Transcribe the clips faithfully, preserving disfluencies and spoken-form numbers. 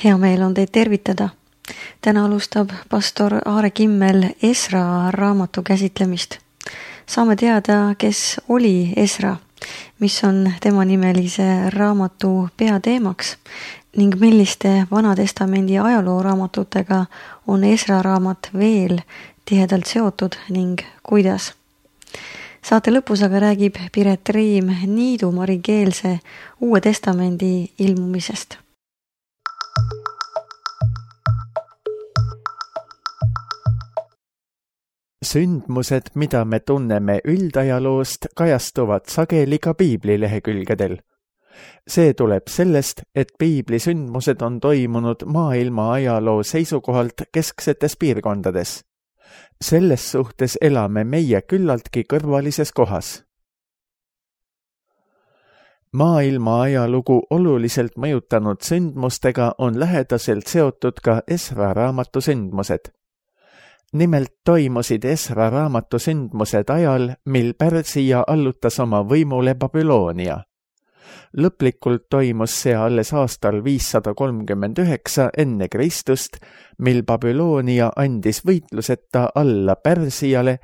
Hea meel on teid tervitada. Täna alustab pastor Aare Kimmel Esra raamatu käsitlemist. Saame teada, kes oli Esra, mis on tema nimelise raamatu peateemaks ning milliste Vana-testamendi ajalooraamatutega on Esra raamat veel tihedalt seotud ning kuidas. Saate lõpus aga räägib Piret Riim Niidu Marikeelse Uue Testamendi ilmumisest. Sündmused, mida me tunneme üldajaloost, kajastuvad sageli ka piiblilehekülgedel. See tuleb sellest, et piibli sündmused on toimunud maailma ajaloo seisukohalt kesksetes piirkondades. Selles suhtes elame meie küllaltki kõrvalises kohas. Maailma ajalugu oluliselt mõjutanud sündmustega on lähedaselt seotud ka Esra raamatu sündmused. Nimelt toimusid Esra raamatu sündmused ajal, mil Pärsia allutas oma võimule Babyloonia. Lõplikult toimus see alles aastal viissada kolmkümmend üheksa enne Kristust, mil Babyloonia andis võitluseta alla Pärsiale,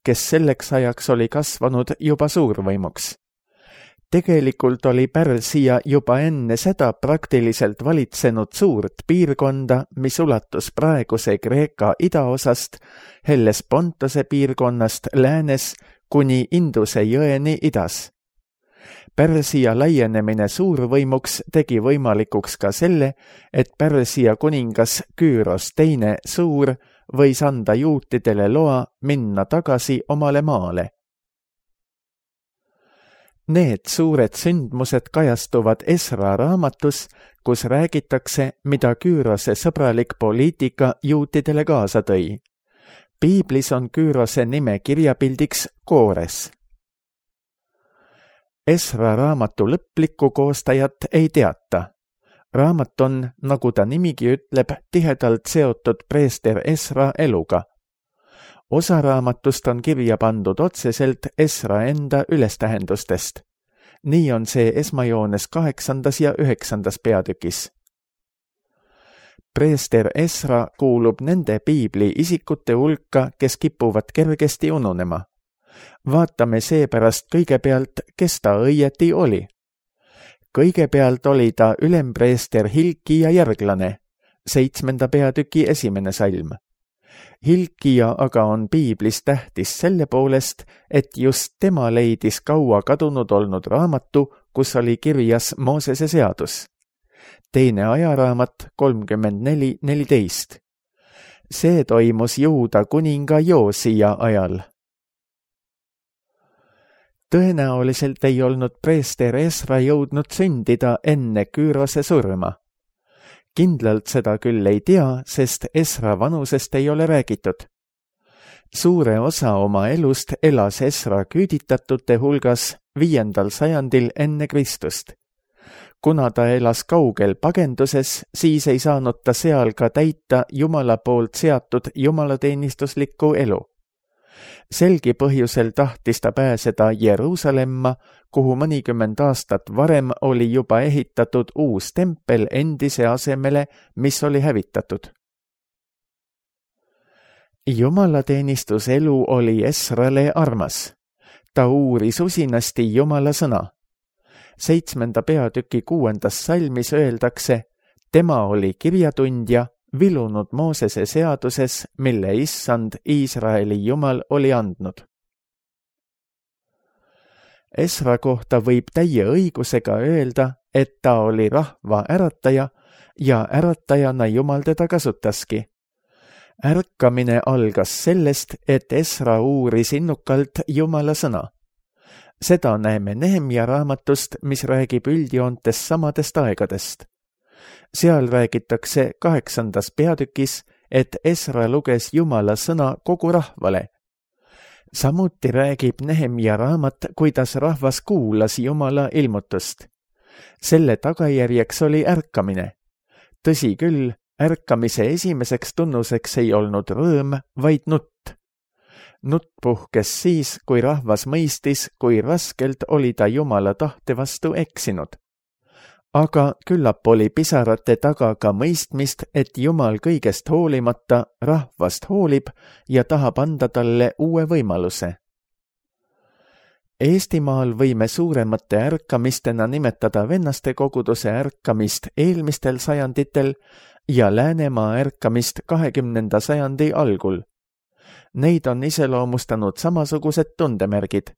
kes selleks ajaks oli kasvanud juba suurvõimuks. Tegelikult oli Pärsia juba enne seda praktiliselt valitsenud suurt piirkonda, mis ulatus praeguse Kreeka idaosast, Hellespontose piirkonnast läänes kuni Induse jõeni idas. Pärsia laienemine suurvõimuks tegi võimalikuks ka selle, et Pärsia kuningas Küüros teine suur võis anda juutidele loa minna tagasi omale maale. Need suured sündmused kajastuvad Esra raamatus, kus räägitakse, mida Küürose sõbralik poliitika juutidele kaasa tõi. Piiblis on Küürose nime kirjapildiks Koores. Esra raamatu lõplikku koostajat ei teata. Raamat on, nagu ta nimigi ütleb, tihedalt seotud preester Esra eluga. Osa raamatust on kirja pandud otseselt Esra enda ülestähendustest. Nii on see esmajoones kaheksandas ja üheksandas peatükis. Preester Esra kuulub nende piibli isikute hulka, kes kipuvad kergesti ununema. Vaatame seepärast kõigepealt, kes ta õieti oli. Kõigepealt oli ta ülempreester Hilkia järglane, seitsmenda peatüki esimene salm. Hilkia aga on piiblis tähtis selle poolest, et just tema leidis kaua kadunud olnud raamatu, kus oli kirjas Moosese seadus. Teine ajaraamat kolmkümmend neli neliteist. See toimus Juuda kuninga Joosia ajal. Tõenäoliselt ei olnud preester Esra jõudnud sündida enne Küürose surma. Kindlalt seda küll ei tea, sest Esra vanusest ei ole räägitud. Suure osa oma elust elas Esra küüditatute hulgas viiendal sajandil enne Kristust. Kuna ta elas kaugel pagenduses, siis ei saanud ta seal ka täita Jumala poolt seatud jumalateenistuslikku elu. Selgi põhjusel tahtis ta pääseda Jeruusalemma, kuhu mõnikümmend aastat varem oli juba ehitatud uus tempel endise asemele, mis oli hävitatud. Jumalateenistuselu oli Esrale armas. Ta uuris usinasti Jumala sõna. Seitsmenda peatüki kuuendas salmis öeldakse, tema oli kirjatundja, vilunud Moosese seaduses, mille issand Iisraeli Jumal oli andnud. Esra kohta võib täie õigusega öelda, et ta oli rahva ärataja ja äratajana Jumal teda kasutaski. Ärkamine algas sellest, et Esra uuris innukalt Jumala sõna. Seda näeme Nehemja raamatust, mis räägib üldjoontes samadest aegadest. Seal räägitakse kaheksandas peatükis, et Esra luges Jumala sõna kogu rahvale. Samuti räägib Nehemja raamat, kuidas rahvas kuulas Jumala ilmutust. Selle tagajärjeks oli ärkamine. Tõsi küll, ärkamise esimeseks tunnuseks ei olnud rõõm, vaid nutt. Nutt puhkes siis, kui rahvas mõistis, kui raskelt oli ta Jumala tahte vastu eksinud. aga küllap oli pisarate taga ka mõistmist, et Jumal kõigest hoolimata rahvast hoolib ja tahab anda talle uue võimaluse. Eestimaal võime suuremate ärkamistena nimetada vennaste koguduse ärkamist eelmistel sajanditel ja Läänemaa ärkamist kahekümnenda sajandi algul. Neid on iseloomustanud samasugused tundemärgid.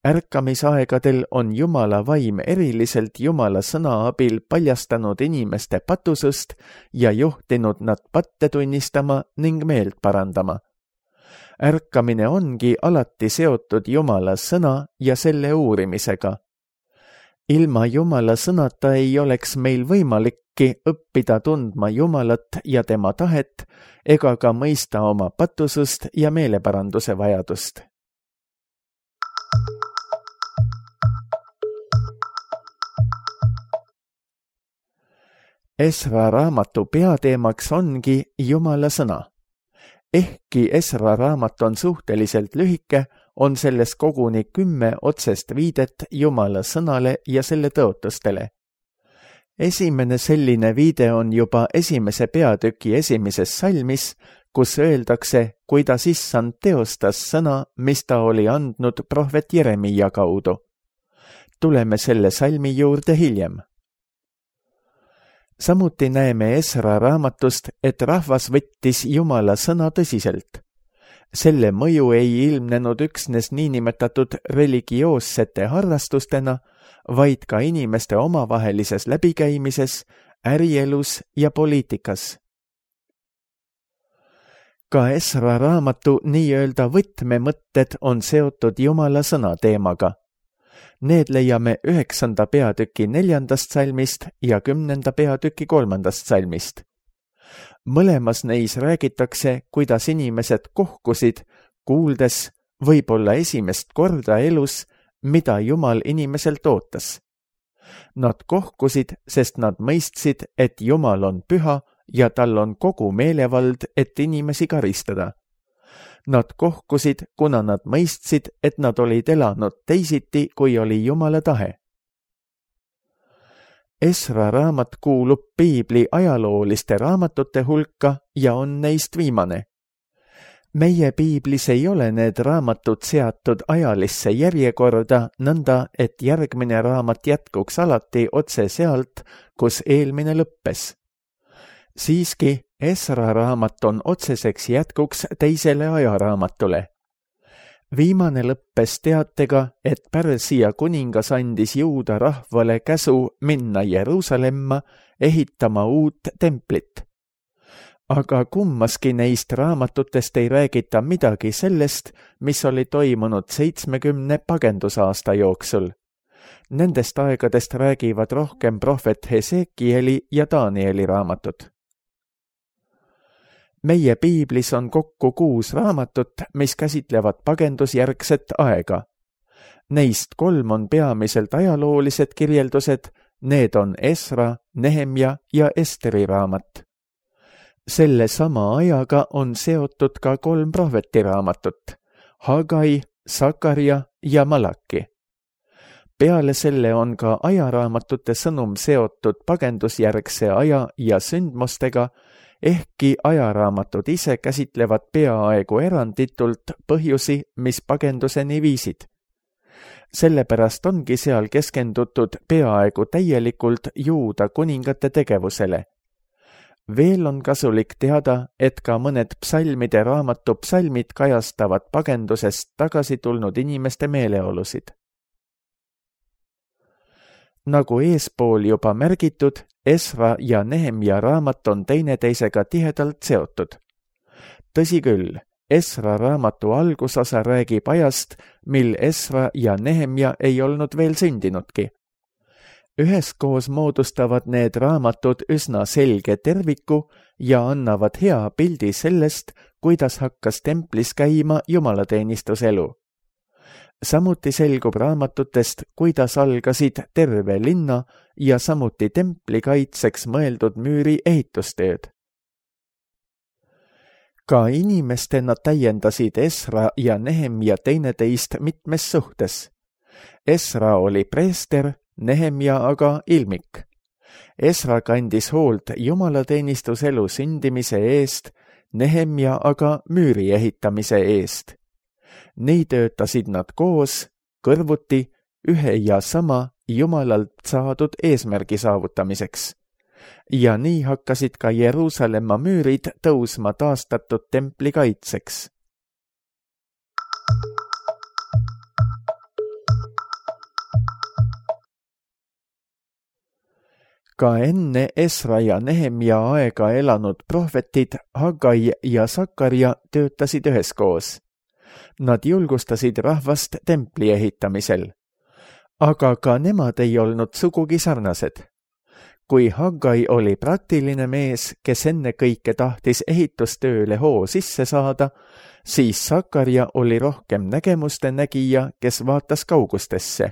Ärkamisaegadel on Jumala vaim eriliselt Jumala sõna abil paljastanud inimeste patusust ja juhtinud nad patte tunnistama ning meelt parandama. Ärkamine ongi alati seotud Jumala sõna ja selle uurimisega. Ilma Jumala sõnata ei oleks meil võimalikki õppida tundma Jumalat ja tema tahet ega ka mõista oma patusust ja meeleparanduse vajadust. Esra raamatu peateemaks ongi Jumala sõna. Ehkki Esra raamat on suhteliselt lühike, on selles koguni kümme otsest viidet Jumala sõnale ja selle tõotustele. Esimene selline viide on juba esimese peatüki esimeses salmis, kus öeldakse, kuidas issand teostas sõna, mis ta oli andnud prohvet Jeremia kaudu. Tuleme selle salmi juurde hiljem. Samuti näeme Esra raamatust, et rahvas võttis Jumala sõna tõsiselt. Selle mõju ei ilmnenud üksnes niinimetatud religioossete harrastustena, vaid ka inimeste omavahelises läbikäimises, ärielus ja poliitikas. Ka Esra raamatu nii-öelda võtmemõtted on seotud Jumala sõna teemaga. Need leiame üheksanda peatüki neljandast salmist ja kümnenda peatüki kolmandast salmist. Mõlemas neis räägitakse, kuidas inimesed kohkusid, kuuldes võib-olla esimest korda elus, mida Jumal inimeselt ootas. Nad kohkusid, sest nad mõistsid, et Jumal on püha ja tal on kogu meelevald, et inimesi karistada. Nad kohkusid, kuna nad mõistsid, et nad olid elanud teisiti, kui oli Jumala tahe. Esra raamat kuulub piibli ajalooliste raamatute hulka ja on neist viimane. Meie piiblis ei ole need raamatud seatud ajalisse järjekorda nõnda, et järgmine raamat jätkuks alati otse sealt, kus eelmine lõppes. Siiski, Esra raamat on otseseks jätkuks teisele ajaraamatule. Viimane lõppes teatega, et Pärsia kuningas andis Juuda rahvale käsu minna Jeruusalemma ehitama uut templit. Aga kummaski neist raamatutest ei räägita midagi sellest, mis oli toimunud seitsmekümne pagendusaasta jooksul. Nendest aegadest räägivad rohkem prohvet Hesekieli ja Danieli raamatud. Meie piiblis on kokku kuus raamatut, mis käsitlevad pagendusjärgset aega. Neist kolm on peamiselt ajaloolised kirjeldused, need on Esra, Nehemja ja Esteri raamat. Selle sama ajaga on seotud ka kolm prohvetiraamatut, Hagai, Sakarja ja Malaki. Peale selle on ka ajaraamatute sõnum seotud pagendusjärgse aja ja sündmustega, ehkki ajaraamatud ise käsitlevad peaaegu eranditult põhjusi, mis pagenduseni viisid. Sellepärast ongi seal keskendutud peaaegu täielikult Juuda kuningate tegevusele. Veel on kasulik teada, et ka mõned psalmide raamatu psalmid kajastavad pagendusest tagasi tulnud inimeste meeleolusid. Nagu eespool juba märgitud, Esra ja Nehemja raamat on teineteisega tihedalt seotud. Tõsi küll, Esra raamatu algusosa räägib ajast, mil Esra ja Nehemja ei olnud veel sündinudki. Üheskoos moodustavad need raamatud üsna selge terviku ja annavad hea pildi sellest, kuidas hakkas templis käima jumalateenistuselu. Samuti selgub raamatutest, kuidas algasid terve linna ja samuti templi kaitseks mõeldud müüri ehitustööd. Ka inimestena täiendasid Esra ja Nehemja teineteist mitmes suhtes. Esra oli preester, Nehemja aga ilmik. Esra kandis hoolt jumalateenistuselu sündimise eest, Nehemja aga müüri ehitamise eest. Nii töötasid nad koos, kõrvuti, ühe ja sama Jumalalt saadud eesmärgi saavutamiseks. Ja nii hakkasid ka Jeruusalemma müürid tõusma taastatud templi kaitseks. Ka enne Esra ja Nehemja aega elanud prohvetid Haggai ja Sakarja töötasid üheskoos. Nad julgustasid rahvast templi ehitamisel. Aga ka nemad ei olnud sugugi sarnased. Kui Haggai oli praktiline mees, kes enne kõike tahtis ehitustööle hoo sisse saada, siis Sakarja oli rohkem nägemuste nägija, kes vaatas kaugustesse.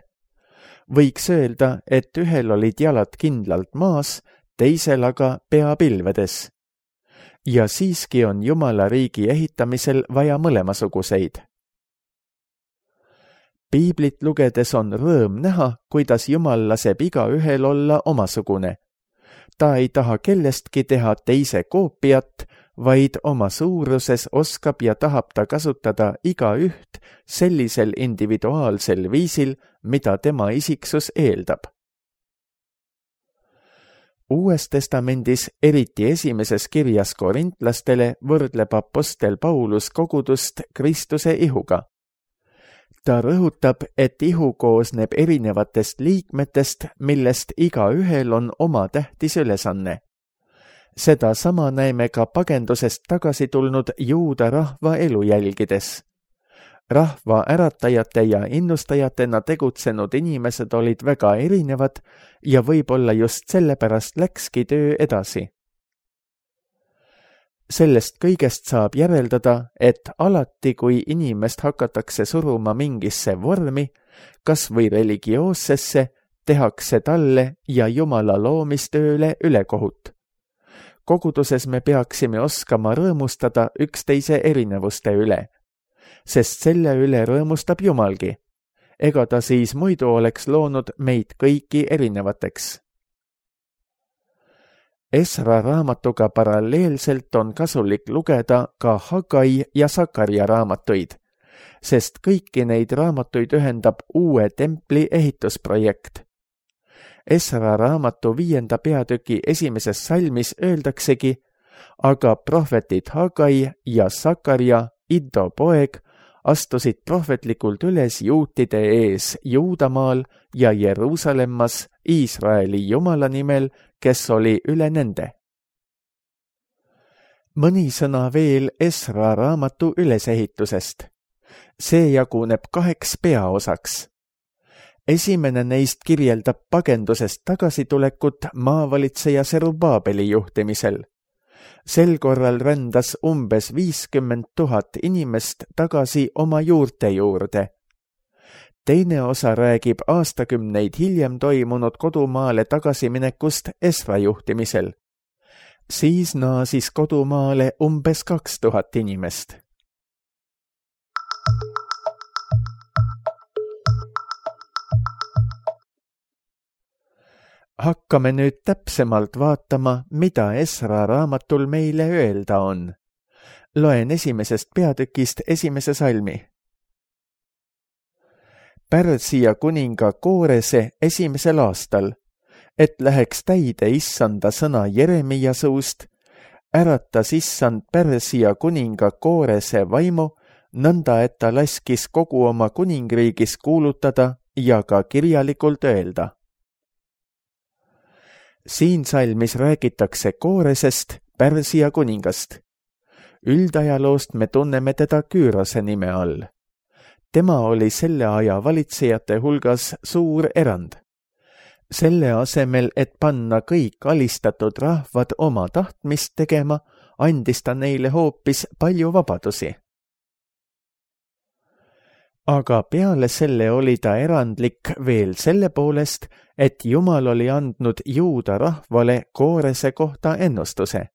Võiks öelda, et ühel olid jalad kindlalt maas, teisel aga pea pilvedes. Ja siiski on Jumala riigi ehitamisel vaja mõlemasuguseid. Piiblit lugedes on rõõm näha, kuidas Jumal laseb igaühel olla omasugune. Ta ei taha kellestki teha teise koopiat, vaid oma suuruses oskab ja tahab ta kasutada igaüht sellisel individuaalsel viisil, mida tema isiksus eeldab. Uues testamendis, eriti esimeses kirjas korintlastele, võrdleb apostel Paulus kogudust Kristuse ihuga. Ta rõhutab, et ihu koosneb erinevatest liikmetest, millest igaühel on oma tähtis ülesanne. Seda sama näeme ka pagendusest tagasi tulnud juuda rahva elu jälgides. Rahva äratajate ja innustajatena tegutsenud inimesed olid väga erinevad ja võib-olla just sellepärast läkski töö edasi. Sellest kõigest saab järeldada, et alati, kui inimest hakatakse suruma mingisse vormi, kas või religioossesse, tehakse talle ja Jumala loomistööle ülekohut. Koguduses me peaksime oskama rõõmustada üksteise erinevuste üle, sest selle üle rõõmustab Jumalgi. Ega ta siis muidu oleks loonud meid kõiki erinevateks. Esra raamatuga paralleelselt on kasulik lugeda ka Haggai ja Sakarja raamatuid, sest kõiki neid raamatuid ühendab uue templi ehitusprojekt. Esra raamatu viienda peatüki esimeses salmis öeldaksegi, aga prohvetid Haggai ja Sakarja, Iddo poeg, astusid prohvetlikult üles juutide ees Juudamaal ja Jeruusalemmas Iisraeli Jumala nimel, kes oli üle nende. Mõni sõna veel Esra raamatu ülesehitusest. See jaguneb kaheks peaosaks. Esimene neist kirjeldab pagendusest tagasitulekut maavalitseja Serubaabeli juhtimisel. Sel korral rändas umbes viiskümmend tuhat inimest tagasi oma juurte juurde. Teine osa räägib aastakümneid hiljem toimunud kodumaale tagasiminekust Esra juhtimisel. Siis naasis kodumaale umbes kaks tuhat inimest. Hakkame nüüd täpsemalt vaatama, mida Esra raamatul meile öelda on. Loen esimesest peatükist esimese salmi. Pärsia kuninga Koorese esimesel aastal, et läheks täide issanda sõna Jeremia suust, äratas issand Pärsia kuninga Koorese vaimu, nõnda et ta laskis kogu oma kuningriigis kuulutada ja ka kirjalikult öelda. Siin salmis räägitakse Kooresest, Pärsia kuningast. Üldajaloost me tunneme teda Küürose nime all. Tema oli selle aja valitsejate hulgas suur erand. Selle asemel, et panna kõik alistatud rahvad oma tahtmist tegema, andis ta neile hoopis palju vabadusi. Aga peale selle oli ta erandlik veel selle poolest, et Jumal oli andnud Juuda rahvale Koorese kohta ennustuse.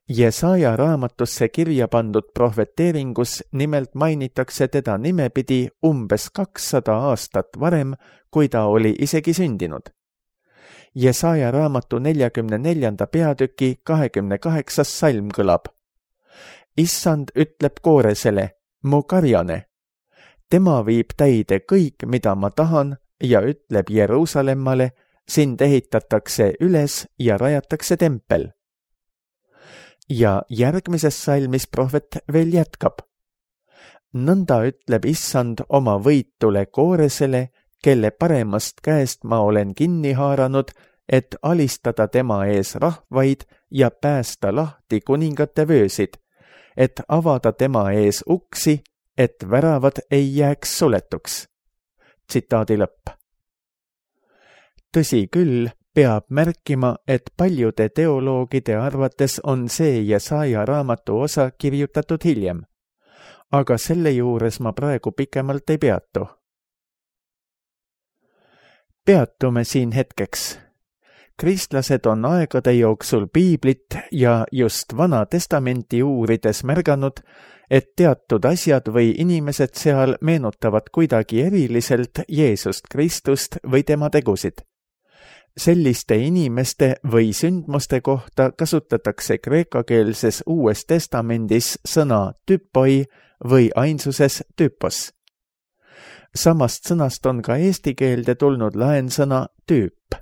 Jesaja raamatusse kirja pandud prohveteeringus nimelt mainitakse teda nimepidi umbes kakssada aastat varem, kui ta oli isegi sündinud. Jesaja raamatu neljakümne neljanda peatüki kahekümne kaheksas salm kõlab. Issand ütleb Kooresele, mu karjane. Tema viib täide kõik, mida ma tahan ja ütleb Jeruusalemmale, sind ehitatakse üles ja rajatakse tempel. Ja järgmises salmis prohvet veel jätkab. Nõnda ütleb Issand oma võitule Kooresele, kelle paremast käest ma olen kinni haaranud, et alistada tema ees rahvaid ja päästa lahti kuningate vöösid, et avada tema ees uksi, et väravad ei jääks suletuks. Tsitaadi lõpp. Tõsi küll, peab märkima, et paljude teoloogide arvates on see Jesaja raamatu osa kirjutatud hiljem, aga selle juures ma praegu pikemalt ei peatu. Peatume siin hetkeks. Kristlased on aegade jooksul piiblit ja just Vana Testamenti uurides märganud, et teatud asjad või inimesed seal meenutavad kuidagi eriliselt Jeesust Kristust või tema tegusid. Selliste inimeste või sündmuste kohta kasutatakse kreekakeelses Uues Testamendis sõna tüpoi või ainsuses tüpos. Samast sõnast on ka eesti keelde tulnud laensõna tüüp.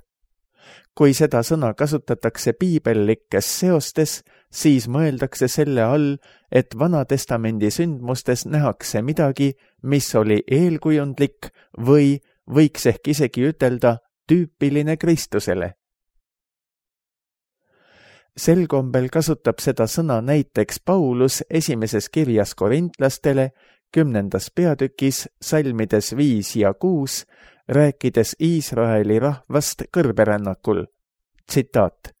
Kui seda sõna kasutatakse piibellikes seostes, siis mõeldakse selle all, et Vana Testamendi sündmustes nähakse midagi, mis oli eelkujundlik või võiks ehk isegi ütelda tüüpiline Kristusele. Sel kombel kasutab seda sõna näiteks Paulus esimeses kirjas korintlastele, kümnendas peatükis, salmides viis ja kuus, rääkides Iisraeli rahvast kõrberännakul. Tsitaat.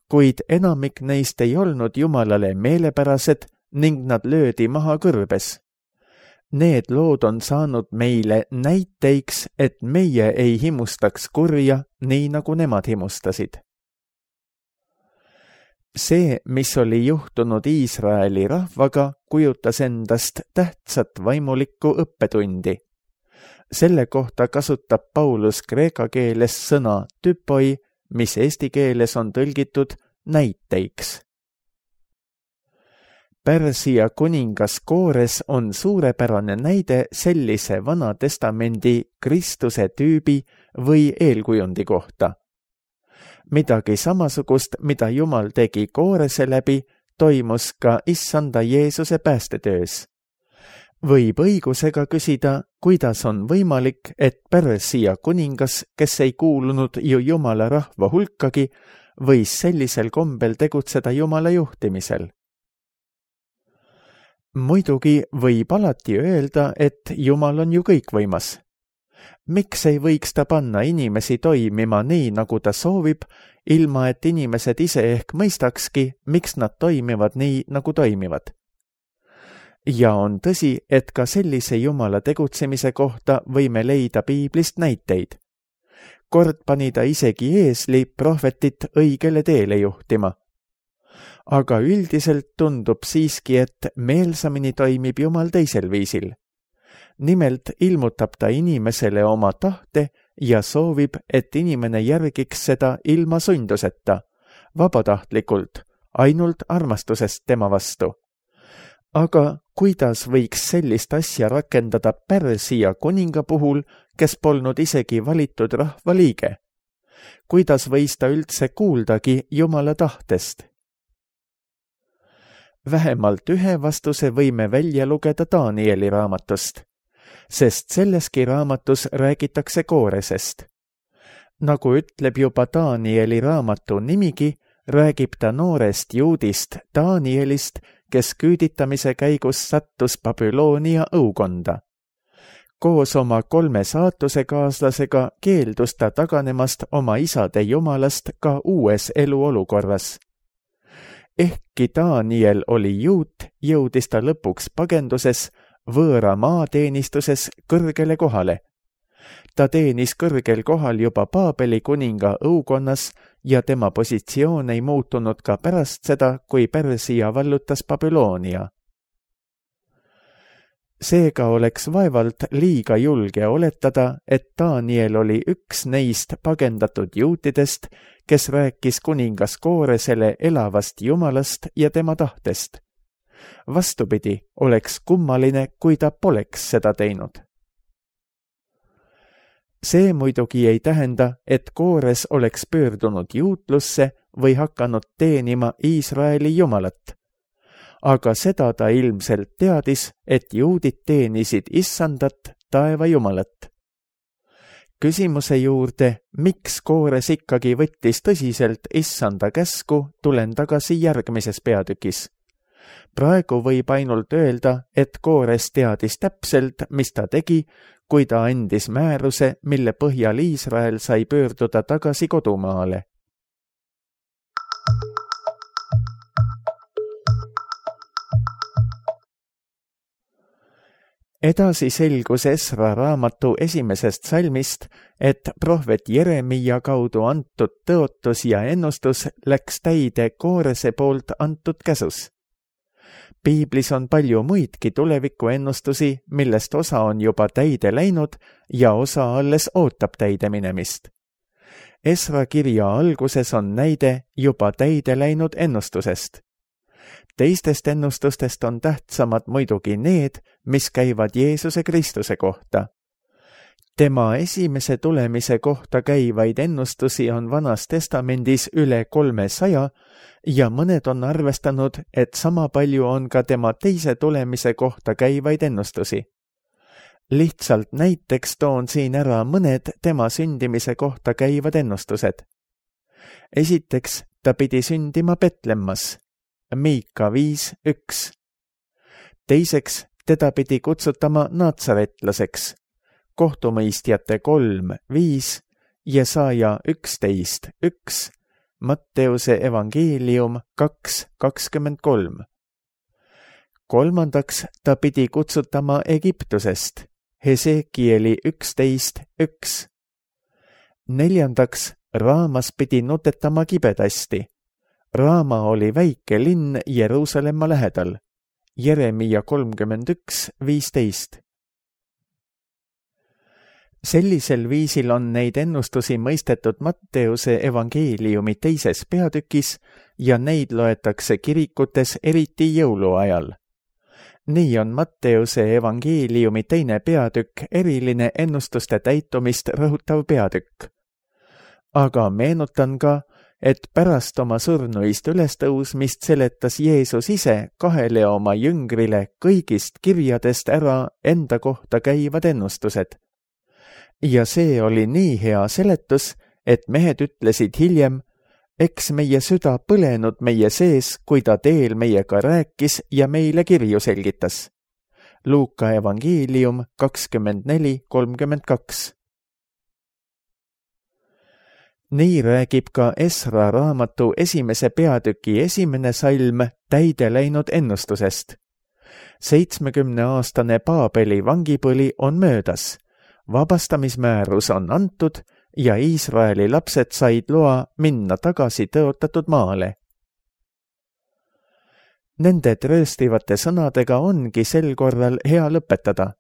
Kuid enamik neist ei olnud Jumalale meelepärased ning nad löödi maha kõrbes. Need lood on saanud meile näiteiks, et meie ei himustaks kurja, nii nagu nemad himustasid. See, mis oli juhtunud Iisraeli rahvaga, kujutas endast tähtsat vaimulikku õppetundi. Selle kohta kasutab Paulus kreeka keeles sõna tüpoi, mis eesti keeles on tõlgitud näiteiks. Pärsia kuningas Koores on suurepärane näide sellise Vana Testamendi Kristuse tüübi või eelkujundi kohta. Midagi samasugust, mida Jumal tegi Koorese läbi, toimus ka Issanda Jeesuse päästetöös. Võib õigusega küsida, kuidas on võimalik, et Pärsia kuningas, kes ei kuulunud ju Jumala rahva hulkagi, võis sellisel kombel tegutseda Jumala juhtimisel. Muidugi võib alati öelda, et Jumal on ju kõikvõimas. Miks ei võiks ta panna inimesi toimima nii, nagu ta soovib, ilma et inimesed ise ehk mõistakski, miks nad toimivad nii, nagu toimivad? Ja on tõsi, et ka sellise Jumala tegutsemise kohta võime leida piiblist näiteid. Kord pani ta isegi eesli prohvetit õigele teele juhtima. Aga üldiselt tundub siiski, et meelsamini toimib Jumal teisel viisil. Nimelt ilmutab ta inimesele oma tahte ja soovib, et inimene järgiks seda ilma sunduseta, vabatahtlikult, ainult armastusest tema vastu. Aga kuidas võiks sellist asja rakendada Pärsia kuninga puhul, kes polnud isegi valitud rahva liige? Kuidas võis ta üldse kuuldagi Jumala tahtest? Vähemalt ühe vastuse võime välja lugeda Danieli raamatust, sest selleski raamatus räägitakse Kooresest. Nagu ütleb juba Danieli raamatu nimigi, räägib ta noorest juudist Danielist, kes küüditamise käigus sattus Babyloonia õukonda. Koos oma kolme saatusekaaslasega keeldus ta taganemast oma isade jumalast ka uues eluolukorras. Ehkki Daniel oli juut, jõudis ta lõpuks pagenduses võõra maateenistuses kõrgele kohale. Ta teenis kõrgel kohal juba Paabeli kuninga õukonnas ja tema positsioon ei muutunud ka pärast seda, kui Pärsia vallutas Babyloonia. Seega oleks vaevalt liiga julge oletada, et Daniel oli üks neist pagendatud juutidest, kes rääkis kuningas Kooresele elavast Jumalast ja tema tahtest. Vastupidi, oleks kummaline, kui ta poleks seda teinud. See muidugi ei tähenda, et Koores oleks pöördunud juutlusse või hakanud teenima Iisraeli Jumalat. Aga seda ta ilmselt teadis, et juudid teenisid Issandat, taeva Jumalat. Küsimuse juurde, miks Koores ikkagi võttis tõsiselt Issanda käsku, tulen tagasi järgmises peatükis. Praegu võib ainult öelda, et Koores teadis täpselt, mis ta tegi, kui ta andis määruse, mille põhjal Iisrael sai pöörduda tagasi kodumaale. Edasi selgus Esra raamatu esimesest salmist, et prohvet Jeremia kaudu antud tõotus ja ennustus läks täide Koorese poolt antud käsus. Piiblis on palju muidki tuleviku ennustusi, millest osa on juba täide läinud ja osa alles ootab täide minemist. Esra kirja alguses on näide juba täide läinud ennustusest. Teistest ennustustest on tähtsamad muidugi need, mis käivad Jeesuse Kristuse kohta. Tema esimese tulemise kohta käivaid ennustusi on Vanas Testamendis üle kolmesaja ja mõned on arvestanud, et sama palju on ka tema teise tulemise kohta käivaid ennustusi. Lihtsalt näiteks toon siin ära mõned tema sündimise kohta käivad ennustused. Esiteks, ta pidi sündima Betlemmas. Miika viis üks. Teiseks, teda pidi kutsutama natsaretlaseks. Kohtumõistjate kolm viis, Jesaja üksteist üks, Matteuse evangeelium kaks kakskümmend kolm. Kolmandaks, ta pidi kutsutama Egiptusest. Hesekieli üksteist üks. Neljandaks, Raamas pidi nutetama kibedasti. Raama oli väike linn Jeruusalemma lähedal. Jeremia kolmkümmend üks viisteist. Sellisel viisil on neid ennustusi mõistetud Matteuse evangeeliumi teises peatükis ja neid loetakse kirikutes eriti jõuluajal. Nii on Matteuse evangeeliumi teine peatükk eriline ennustuste täitumist rõhutav peatükk. Aga meenutan ka, et pärast oma surnuist ülestõusmist seletas Jeesus ise kahele oma jüngrile kõigist kirjadest ära enda kohta käivad ennustused. Ja see oli nii hea seletus, et mehed ütlesid hiljem, eks meie süda põlenud meie sees, kui ta teel meiega rääkis ja meile kirju selgitas. Luuka evangeelium kakskümmend neli kolmkümmend kaks. Nii räägib ka Esra raamatu esimese peatüki esimene salm täide läinud ennustusest. Seitsmekümneaastane Paabeli vangipõli on möödas, vabastamismäärus on antud ja Iisraeli lapsed said loa minna tagasi tõotatud maale. Nende trööstivate sõnadega ongi sel korral hea lõpetada.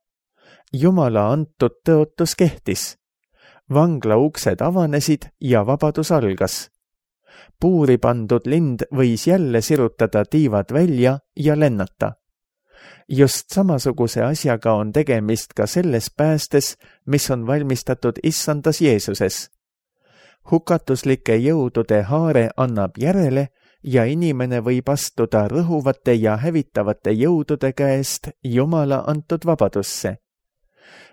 Jumala antud tõotus kehtis. Vangla uksed avanesid ja vabadus algas. Puuri pandud lind võis jälle sirutada tiivad välja ja lennata. Just samasuguse asjaga on tegemist ka selles päästes, mis on valmistatud Issandas Jeesuses. Hukatuslike jõudude haare annab järele ja inimene võib astuda rõhuvate ja hävitavate jõudude käest Jumala antud vabadusse.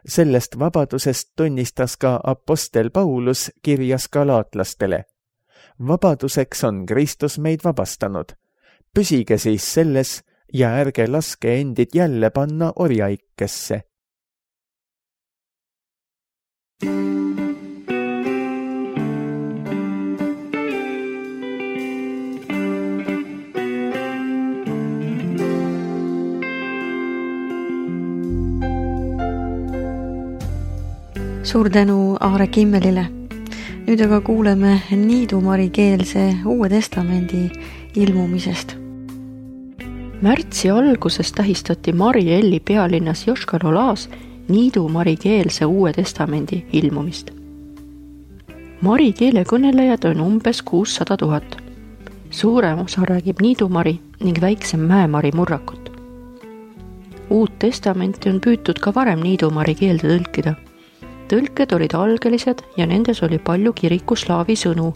Sellest vabadusest tunnistas ka apostel Paulus kirjas galaatlastele. Vabaduseks on Kristus meid vabastanud. Püsige siis selles ja ärge laske endid jälle panna orjaikkesse. Suur tänu Aare Kimmelile. Nüüd aga kuuleme niidumarikeelse Uue Testamendi ilmumisest. Märtsi alguses tähistati Marielli pealinnas Joškar-Olās niidumari keelse Uue Testamendi ilmumist. Mari keele kõnelejad on umbes kuussada tuhat. Suurem osa räägib niidumari ning väiksem mäemari murrakut. Uut testamenti on püütud ka varem niidumari keelde tõlkida. Tõlked olid algelised ja nendes oli palju kirikuslaavi sõnu,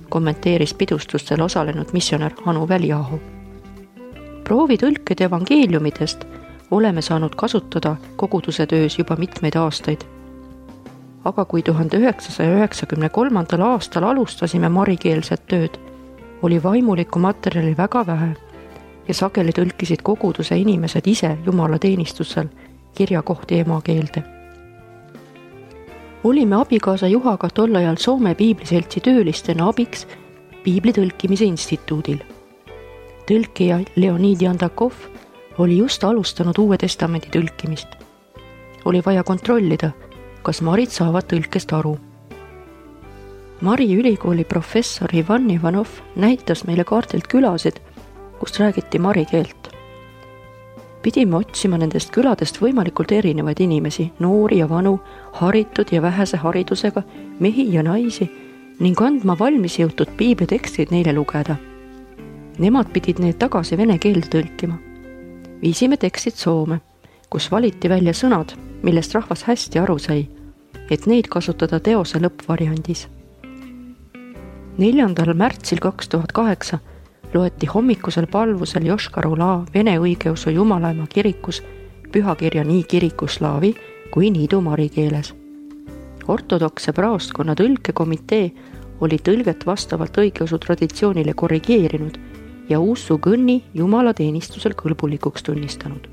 kommenteeris pidustustel osalenud missionär Anu Väliaho. Proovitõlked evangeeliumidest oleme saanud kasutada koguduse töös juba mitmeid aastaid. Aga kui tuhande üheksasaja üheksakümne kolmandal aastal alustasime marikeelset tööd, oli vaimulikku materjali väga vähe ja sageli tõlkisid koguduse inimesed ise Jumala teenistusel kirjakohti emakeelde. Olime abikaasa Juhaga tol ajal Soome piibliseltsi töölistena abiks piibli tõlkimise instituudil. Tõlkija Leonid Jandakov oli just alustanud Uue Testamendi tõlkimist. Oli vaja kontrollida, kas marid saavad tõlkest aru. Mari ülikooli professor Ivan Ivanov näitas meile kaardilt külasid, kust räägiti mari keelt. Pidime otsima nendest küladest võimalikult erinevaid inimesi, noori ja vanu, haritud ja vähese haridusega, mehi ja naisi ning andma valmis jõutud piiblitekstid neile lugeda. Nemad pidid need tagasi vene keelde tõlkima. Viisime tekstid Soome, kus valiti välja sõnad, millest rahvas hästi aru sai, et neid kasutada teose lõppvariandis. neljandal märtsil kaks tuhat kaheksa loeti hommikusel palvusel Joškar-Olā Vene õigeusu Jumalaema kirikus pühakirja nii kirikuslaavi kui niidumari keeles. Ortodokse praostkonna tõlkekomitee oli tõlget vastavalt õigeusu traditsioonile korrigeerinud ja uussu kõnni Jumala teenistusel kõlbulikuks tunnistanud.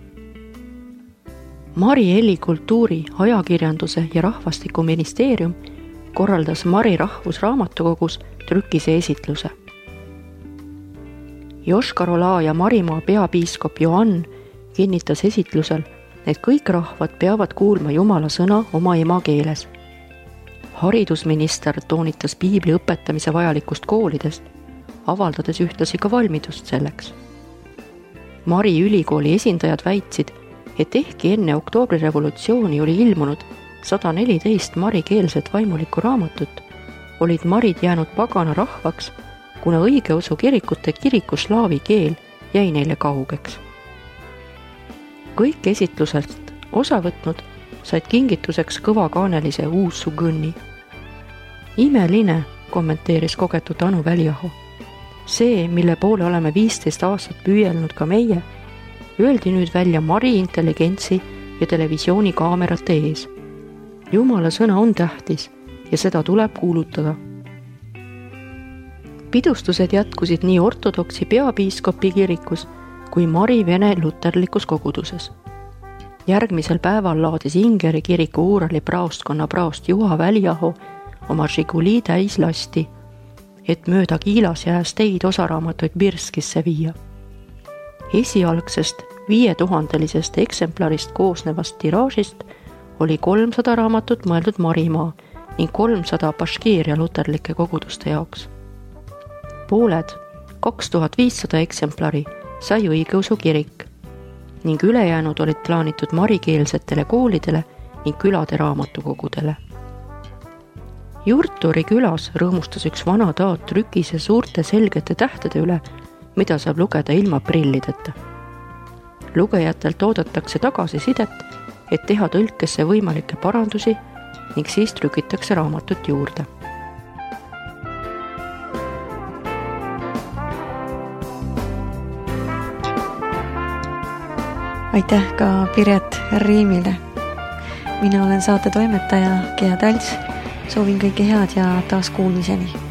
Mari Elli kultuuri, ajakirjanduse ja rahvastikuministeerium korraldas Mari rahvusraamatukogus trükise esitluse. Joškar-Olā ja Marimaa peapiiskop Joann kinnitas esitlusel, et kõik rahvad peavad kuulma Jumala sõna oma emakeeles. Haridusminister toonitas piibli õpetamise vajalikust koolidest, avaldades ühtlasi ka valmidust selleks. Mari ülikooli esindajad väitsid, et ehkki enne oktoobrirevolutsiooni oli ilmunud sada neliteist marikeelset vaimulikku raamatut, olid marid jäänud pagana rahvaks, kuna õigeusu kirikute kirikuslaavi keel jäi neile kaugeks. Kõik esitlusest osa võtnud said kingituseks kõvakaanelise uussu kõnni. Imeline, kommenteeris kogetud Anu Väliaho. See, mille poole oleme viisteist aastat püüelnud ka meie, öeldi nüüd välja Mari intelligentsi ja televisioonikaamerate ees. Jumala sõna on tähtis ja seda tuleb kuulutada. Pidustused jätkusid nii ortodoksi peapiiskopi kirikus kui Mari Vene luterlikus koguduses. Järgmisel päeval laadis Ingeri kiriku Uurali praostkonna praost Juha Väliaho oma Žiguli täis lasti, et mööda Kiilas jääs teid osaraamatuid Birskisse viia. Esialgsest viietuhandelisest eksemplarist koosnevast tiraažist oli kolmsada raamatut mõeldud Marimaa ning kolmsada Baškiiria luterlike koguduste jaoks. Pooled, kaks tuhat viissada eksemplari, sai õigeusu kirik ning ülejäänud olid plaanitud marikeelsetele koolidele ning külade raamatukogudele. Jurturi külas rõõmustas üks vana taat trükise suurte selgete tähtede üle, mida saab lugeda ilma prillideta. Lugejatelt oodatakse tagasisidet, et teha tõlkesse võimalikke parandusi ning siis trükitakse raamatut juurde. Aitäh ka Piret Riimile. Mina olen saate toimetaja Gea Talts. Soovin kõike head ja taas kuulmiseni.